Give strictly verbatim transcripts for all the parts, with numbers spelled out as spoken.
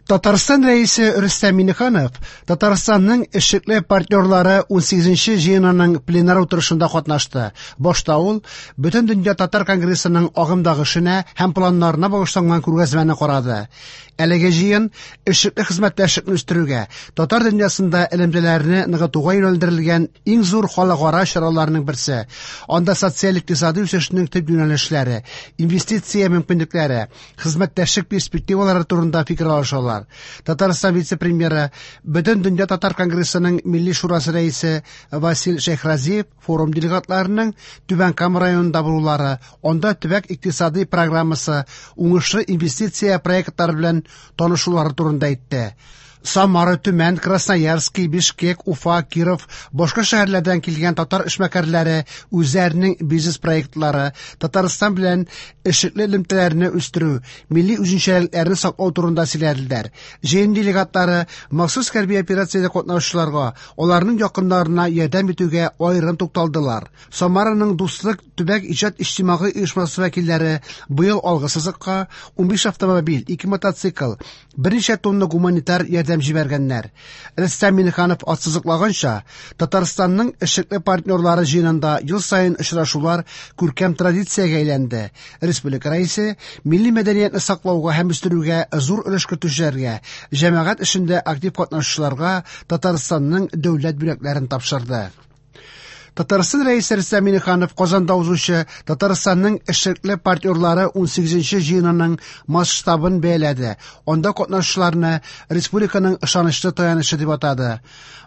Татарстан Рәисе Рөстәм Миңнеханов Татарстанның эшлекле партнерлары унсигезенче җыенының пленар утырышында катнашты. Башта ул Бөтендөнья татар конгрессының агымдагы эшенә һәм планнарына багышланган күргәзмәне карады. Әлеге җыен эшлекле хезмәттәшлекне үстерүгә, татар дөньясында элемтәләрне ныгытуга юнәлдерелгән иң зур халыкара чараларның берсе. Анда социаль-икътисади үсешнең төп юнәлешләре, инвестиция мөмкинлекләре, хезмәттәшлек перспективалары турында фикер алышалар. Татарстан вице-премьеры, Бөтендөнья татар конгрессының Милли шурасы рәисе Васил Шәйхразиев форум делегатларының Түбән Кама районында булулары, анда төбәк икътисади программасы, уңышлы инвестиция проектлары белән танышулары турында әйтте. Самара, Төмән, Красноярский, Бишкек, Уфа, Киров, башка шәһәрләрдән килгән татар эшмәкәрләре үзләренең бизнес-проектлары, Татарстан белән эшлекле элемтәләрне үстерү, милли үзенчәлекләрне саклау турында сөйләделәр. Җыен делегатлары махсус хәрби операциядә катнашучыларга, аларның якыннарына ярдәм итүгә аерым тукталдылар. Самараның Дуслык төбәк иҗат иҗтимагый оешмасы вәкилләре быел алгы сызыкка унбиш автомобиль, ике мотоцикл, берничә тонна гуманитар ярдәм җибәргәннәр. Рөстәм Миңнеханов ассызыклаганча, Татарстанның эшлекле партнерлары җыенында ел саен очрашулар күркәм традициягә әйләнде. Республика рәисе милли мәдәниятне саклауга һәм үстерүгә зур өлеш кертүчеләргә, җәмәгать эшендә актив катнашучыларга Татарстанның дәүләт бүләкләрен тапшырды. Татарстан Рәисе Рөстәм Миңнеханов Казанда узучы Татарстанның эшлекле партнерлары унсигезенче җыенының масштабын бәяләде. Анда катнашучыларны республиканың ышанычлы таянычы дип атады.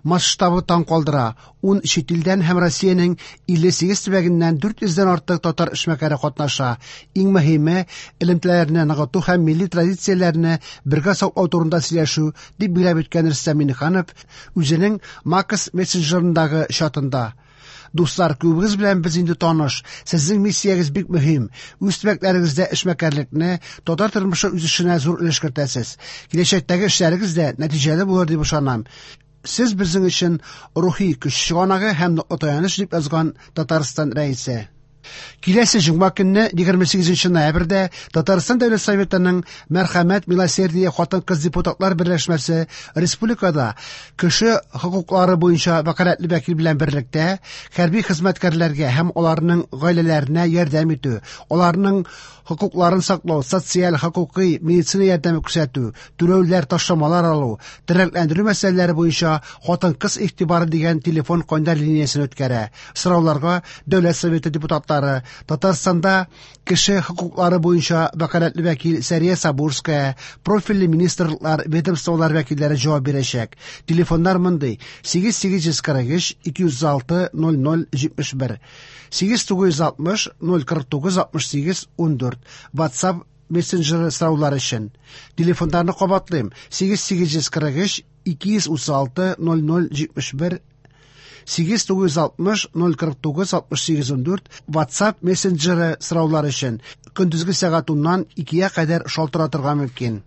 Масштабы таң калдыра. Ун чит илдән һәм Россиянең илле сигез төбәгеннән дүрт йөздән артык татар эшмәкәре катнаша. Иң мөһиме элемтәләрне ныгыту һәм милли традицияләрне бергә саклау турында сөйләшү, дип билгеләп үткән Рөстәм Миңнеханов үзенең Макс мессенджерындагы чатында. Дуслар, күбегез белән без инде таныш. Сезнең миссиягез бик мөһим. Үз төбәкләрегездә эшмәкәрлекне, татар тормышы үсешенә зур өлеш кертәсез. Киләчәктәге эшләрегез дә нәтиҗәле булыр дип ышанам. Сез безнең өчен рухи көч чыганагы һәм ныклы таяныч, дип язган Татарстан Рәисе. Киләсе җомга көнне, егерме сигезенче ноябрьдә, Татарстан Дәүләт Советының Мәрхәмәт Милосердие хатын-кыз депутатлар берләшмәсе республикада кеше хокуклары буенча вәкаләтле вәкил белән берлектә хәрби хезмәткәрләргә һәм аларның гаиләләренә ярдәм итү, аларның хокукларын саклау, социаль, хокукый, медицина ярдәме күрсәтү, түләүләр, ташламалар алу, тернәкләндерү мәсьәләләре буенча хатын-кыз игътибары дигән телефон кайнар линиясен үткәрә. Сорауларга Дәүләт Советы депутатлары, Татарстанда кеше хокуклары буенча вәкаләтле вәкил Сәрия Сабурская, профильле министрлыклар, ведомстволар вәкилләре җавап бирәчәк. Телефоннар мондый: сигез сигез йөз кырык өч, ике йөз алты, ноль ноль җитмеш бер, сигез тугыз йөз алтмыш, ноль кырык тугыз, алтмыш сигез, ундүрт. WhatsApp мессенджеры сораулар өчен. Телефоннарны кабатлыйм: сигез сигез йөз кырык өч, ике йөз утыз алты, ноль ноль җитмеш бер, сигез тугыз йөз алтмыш, ноль кырык тугыз, алтмыш сигез, ундүрт. WhatsApp мессенджеры сораулар өчен. Көндезге сәгать уннан икегә кадәр шалтыратырга мөмкин.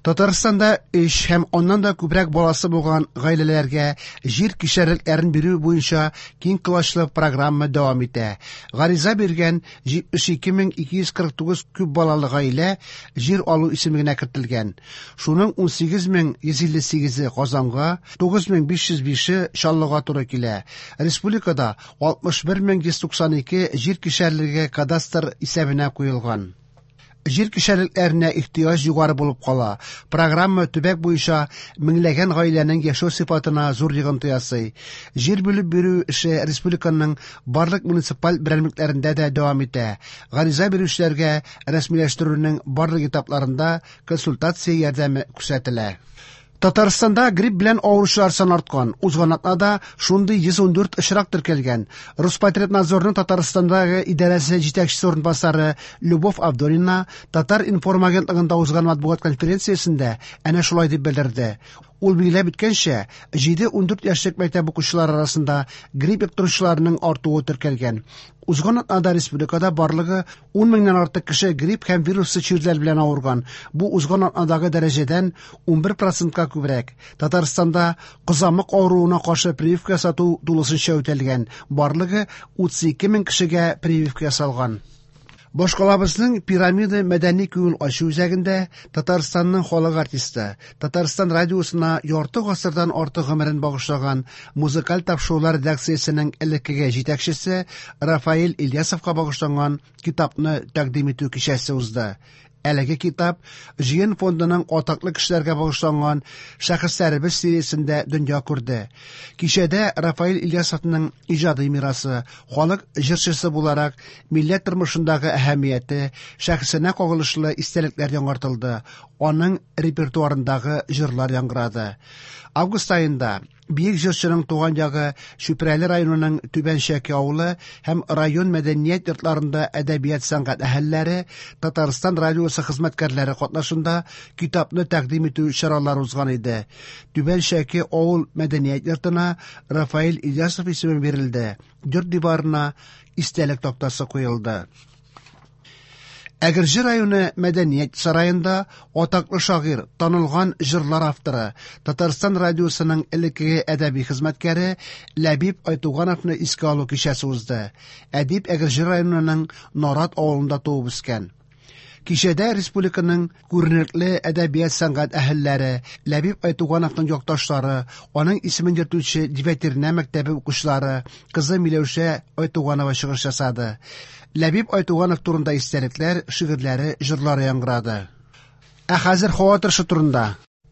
Татарстанда өч һәм аннан да күбрәк баласы булган гаиләләргә җир кишәрлекләрен бирү буенча киң колачлы программа дәвам итә. Гариза биргән җитмеш ике мең ике йөз кырык тугыз күп балалы гаилә җир алу исемлегенә кертелгән. Шуның унсигез мең йөз илле сигезе Казанга, тугыз мең биш йөз бише Чаллыга туры килә. Республикада алтмыш бер мең йөз туксан ике җир кишәрлеге кадастр исәбенә куелган. Җир кишәрлекләренә ихтыяҗ югары булып кала. Программа төбәк буенча меңләгән гаиләнең яшәү сыйфатына зур йогынты ясый. Җир бүлеп бирү эше республиканың барлык муниципаль берәмлекләрендә дә дәвам итә. Гариза бирүчеләргә рәсмиләштерүнең барлык этапларында консультация ярдәме күрсәтелә. Татарстанда грипп белән авыручылар саны арткан. Узган атнада шундый йөз ундүрт очрак теркәлгән. Роспотребнадзорның Татарстандагы идарәсе җитәкчесе урынбасары Любовь Авдонина Татар-информ агентлыгында узган матбугат конференциясендә әнә шулай дип белдерде. Ул билгеләп үткәнчә, җиде ундүрт яшьлек мәктәп укучылары арасында грипп йоктыручыларның артуы теркәлгән. Узган атнада республикада барлыгы ун меңнән артык кеше грипп һәм вируслы чирләр белән авырган. Бу узган атнадагы дәрәҗәдән унбер процентка күбрәк. Татарстанда кызамык авыруына каршы прививка ясату тулысынча үтәлгән. Барлыгы утыз ике мең кешегә прививка ясалган. Башкалабызның Пирамида мәдәни күңел ачу үзәгендә Татарстанның халык артисты, Татарстан радиосына ярты гасырдан артык гомерен багышлаган музыкаль тапшырулар редакциясенең элеккеге җитәкчесе Рафаэль Ильясовка багышланган китапны тәкъдим итү кичәсе узды. Әлеге китап Җыен фондының атаклы кешеләргә багышланган Шәхесләребез сериясендә дөнья күрде. Кичәдә Рафаэль Ильясовның иҗади мирасы, халык җырчысы буларак милләт тормышындагы әһәмияте, шәхесенә кагылышлы истәлекләр яңартылды, аның репертуарындагы җырлар яңгырады. Август аенда бөек җырчының туган ягы Чүпрәле районының Түбән Чәке авылы һәм район мәдәният йортларында әдәбият сәнгать әһелләре, Татарстан радиосы хезмәткәрләре катнашында китапны тәкъдим итү чаралары узган иде. Түбән Чәке авыл мәдәният йортына Рафаэль Ильясов исеме бирелде. Йорт диварына истәлек тактасы куелды. Әгерҗе районы мәдәният сараенда атаклы шагыйрь, танылган җырлар авторы, Татарстан радиосының элеккеге әдәби хезмәткәре Ләбиб Айтугановны искә алу кичәсе узды. Әдип Әгерҗе районының Нарат авылында туып үскән. Кичәдә республиканың күренекле әдәбият сәнгать әһелләре, Ләбиб Айтугановның якташлары, аның исемен йөртүче Девятернә мәктәбе укучылары, кызы Миләүшә Айтуганова чыгыш ясады. Ләбиб Айтуганов турында истәлекләр, шигырьләре, җырлары яңгырады. Ә хәзер һава торышы турында.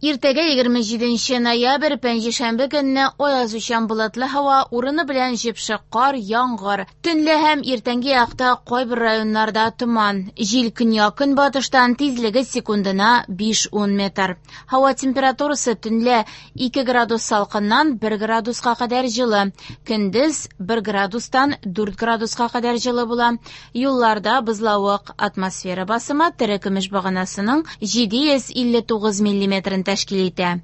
Иртәгә егерме җиденче ноябрь пәнҗешәмбе көнне аязучан болытлы һава, урыны белән җепшек кар, яңгыр. Төнлә һәм иртәнге якта кайбер районнарда томан. Җил көньяк-көнбатыштан, тизлеге секундына биш-ун метр. Һава температурасы төнлә ике градус салкыннан бер градуска кадәр җылы. Көндез бер градустан дүрт градуска кадәр җылы була. Юлларда бозлавык. Атмосфера басымы терекөмеш баганасының җиде йөз илле тугыз миллиметрын тәшкил итә.